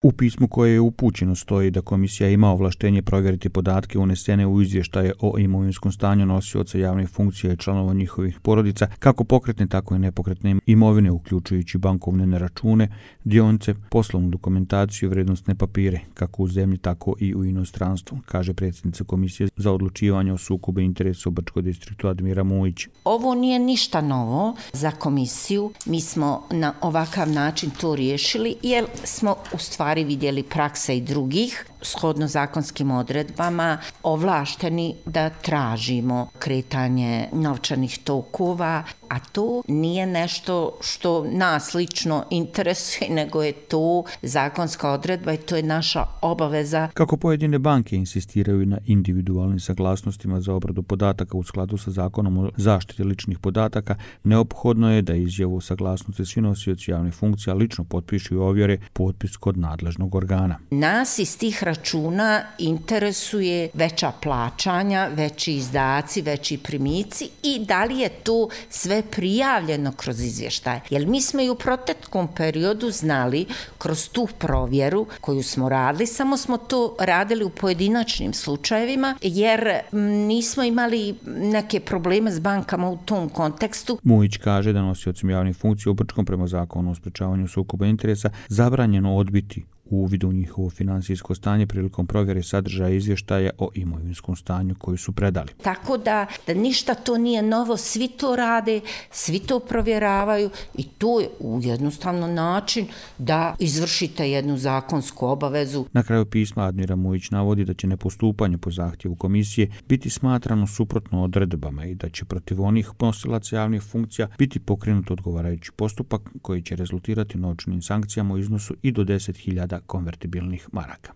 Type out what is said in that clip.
U pismu koje je upućeno stoji da komisija ima ovlaštenje provjeriti podatke unesene u izvještaje o imovinskom stanju nosioca javnih funkcija i članova njihovih porodica, kako pokretne tako i nepokretne imovine, uključujući bankovne račune, dionice, poslovnu dokumentaciju, vrednosne papire, kako u zemlji tako i u inostranstvu, kaže predsjednica Komisije za odlučivanje o sukobu interesa u Brčkom distriktu Admira Mujić. Ovo nije ništa novo za komisiju. Mi smo na ovakav način to riješili jer smo u stvari vidjeli prakse i drugih shodno zakonskim odredbama ovlašteni da tražimo kretanje novčanih tokova, a to nije nešto što nas lično interesuje, nego je to zakonska odredba i to je naša obaveza. Kako pojedine banke insistiraju na individualnim saglasnostima za obradu podataka u skladu sa zakonom o zaštiti ličnih podataka, neophodno je da izjavu saglasnosti svi nosioci javnih funkcija lično potpišu i ovjere potpis kod nadležnog organa. Nas iz tih računa interesuje veća plaćanja, veći izdaci, veći primici i da li je to sve prijavljeno kroz izvještaj. Jer mi smo i u proteklom periodu znali kroz tu provjeru koju smo radili, samo smo to radili u pojedinačnim slučajevima jer nismo imali neke probleme s bankama u tom kontekstu. Mujić kaže da nosiocima javnih funkcija u Brčkom prema zakonu o sprečavanju sukoba interesa zabranjeno odbiti uvid u njihovo finansijsko stanje prilikom provjere sadržaja izvještaja o imovinskom stanju koju su predali. Tako da ništa to nije novo, svi to rade, svi to provjeravaju i to je jednostavno način da izvršite jednu zakonsku obavezu. Na kraju pisma Admira Mujić navodi da će nepostupanje po zahtjevu komisije biti smatrano suprotno odredbama i da će protiv onih nosilaca javnih funkcija biti pokrenut odgovarajući postupak koji će rezultirati novčanim sankcijama u iznosu i do 10.000 konvertibilnih maraka.